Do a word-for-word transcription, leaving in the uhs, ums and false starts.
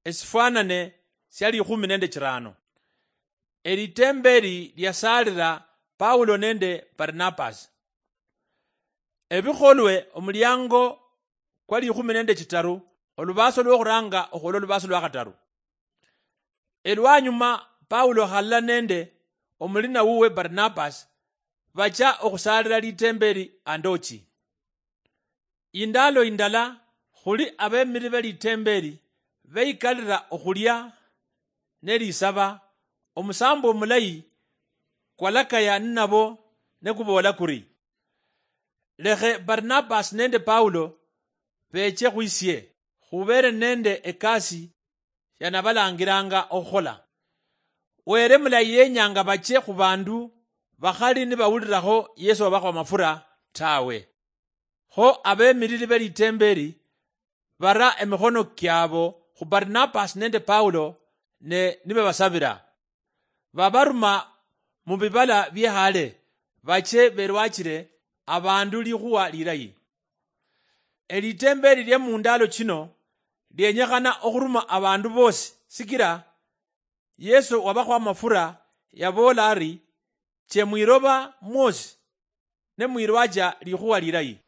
esifwanane sia likhumi nende chirano. Elitembeeli liasaalira Paulo nende Barnabas. Ebikholwe omuliango kwa likhumi nende chitaru, olubaso lwokhuranga okhwola olubaso lwa khataru. Elwanyuma Paulo halala nende omulina wuwe Barnabas bacha okhusaalira litembeeli Andochi. Indalo indala khuli abemili be litembeeli beikalira okhulia nelisaba, omusambo omulayi kwalakaya ninabo nekuboola kuri, lekhe Barnabas nende Paulo beche khwisie, khubeere nende ekasi yanabalangiranga okhukhola. Were mulayi yenyanga bache khubandu bakhali nibawulirakho Yesu wabakho amafura tawe. Kho abemilili be litembeeli bara emikhono kiabo khu Barnabas nende Paulo ne nibabasabira. Babaruma mu bibala biehale bache berwachire abandu likhuwa lilayi. Elitembeeli lie mundalo chino lienyekhana okhuruma abandu bosi, sikira Yesu wabakho amafura yaboola ari, che mwiloba mwosi ne mwirwacha likhuwa lilayi.